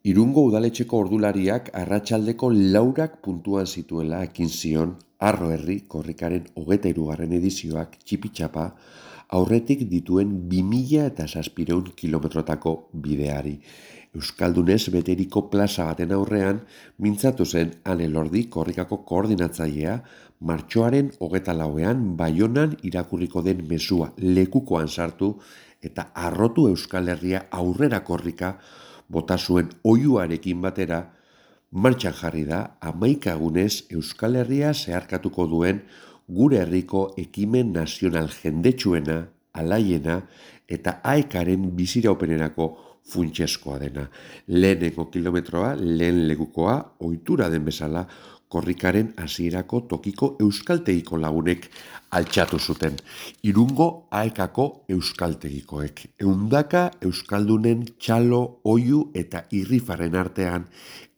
Irungo udaletxeko ordulariak arratsaldeko 4 puntuan zituela ekin zion Arro Herri korrikaren 23. edizioak txipitxapa aurretik dituen 2700 kilometrotako bideari. Euskaldunez beteriko plaza baten aurrean mintzatu zen Ane Lordi korrikako koordinatzailea martxoaren 24ean Baionan irakurriko den mezua lekukoan sartu eta arrotu Euskal Herria aurrera korrika bota zuen oihuarekin batera, martxan jarri da 11 egunez Euskal Herria zeharkatuko duen gure herriko ekimen nazional jendetsuena, alaiena eta aekaren biziraupenerako funtsezkoa dena. Lehenengo kilometroa, lehen lekukoa, ohitura den bezala, korrikaren hasierako tokiko euskaltegiko lagunek altxatu zuten. Irungo aekako euskaltegikoek. Ehundaka euskaldunen txalo, oihu eta irrifaren artean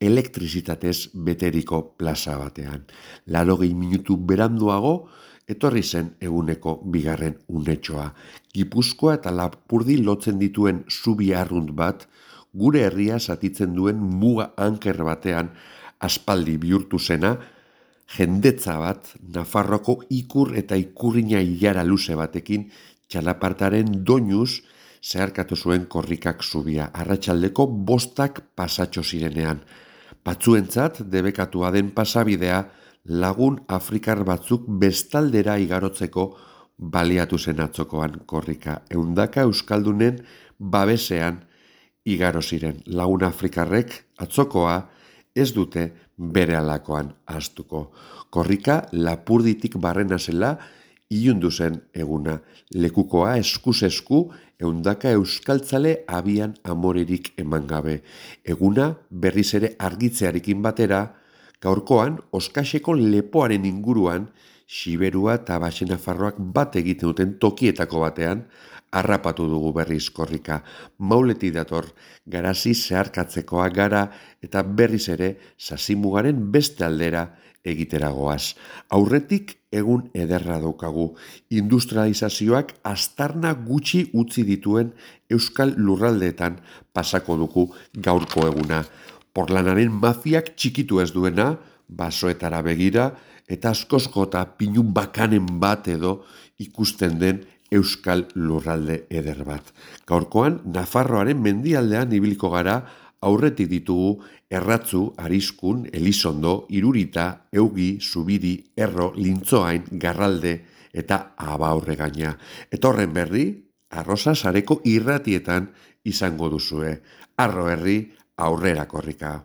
elektrizitatez beteriko plaza batean. 80 minutu beranduago, etorri zen eguneko bigarren unetxoa. Gipuzkoa eta Lapurdi lotzen dituen zubi arrunt bat, gure herria zatitzen duen muga anker batean aspaldi bihurtu zena, jendetza bat Nafarroko ikur eta ikurrina ilara luze batekin txalapartaren doinuz zeharkatu zuen korrikak zubia. Arratsaldeko 5 pasatxo zirenean. Batzuentzat debekatua den pasabidea lagun afrikar batzuk bestaldera igarotzeko baliatu zen atzokoan korrika. Ehundaka euskaldunen babesean igaro ziren. Lagun afrikarrek atzokoa ez dute bere alakoan ahaztuko. Korrika Lapurditik barrena zela ilundu zen eguna. Lekukoa eskuz esku ehundaka euskaltzale abian amorerik eman gabe. Eguna berriz ere argitzearekin batera, gaurkoan Oskaxeko lepoaren inguruan Xiberua eta Baxenafarroak bat egiten duten tokietako batean harrapatu dugu berriz korrika. Mauletik dator, garazi zeharkatzekoa gara eta berriz ere Sasimugaren beste aldera egiteragoaz. Aurretik egun ederra daukagu. Industrializazioak aztarna gutxi utzi dituen euskal lurraldeetan pasako dugu gaurko eguna. Porlanaren mafiak txikitu ez duena, basoetara begira, eta askozko eta pinun bakanen bat edo ikusten den euskal lurralde eder bat. Gaurkoan, Nafarroaren mendialdean ibiliko gara, aurretik ditugu Erratzu, Ariskun, Elizondo, Irurita, Eugi, Zubiri, Erro, Lintzoain, Garralde eta Abaurregaina. Eta horren berri, Arrosa sareko irratietan izango duzue. Arro Herri, aurrera korrika.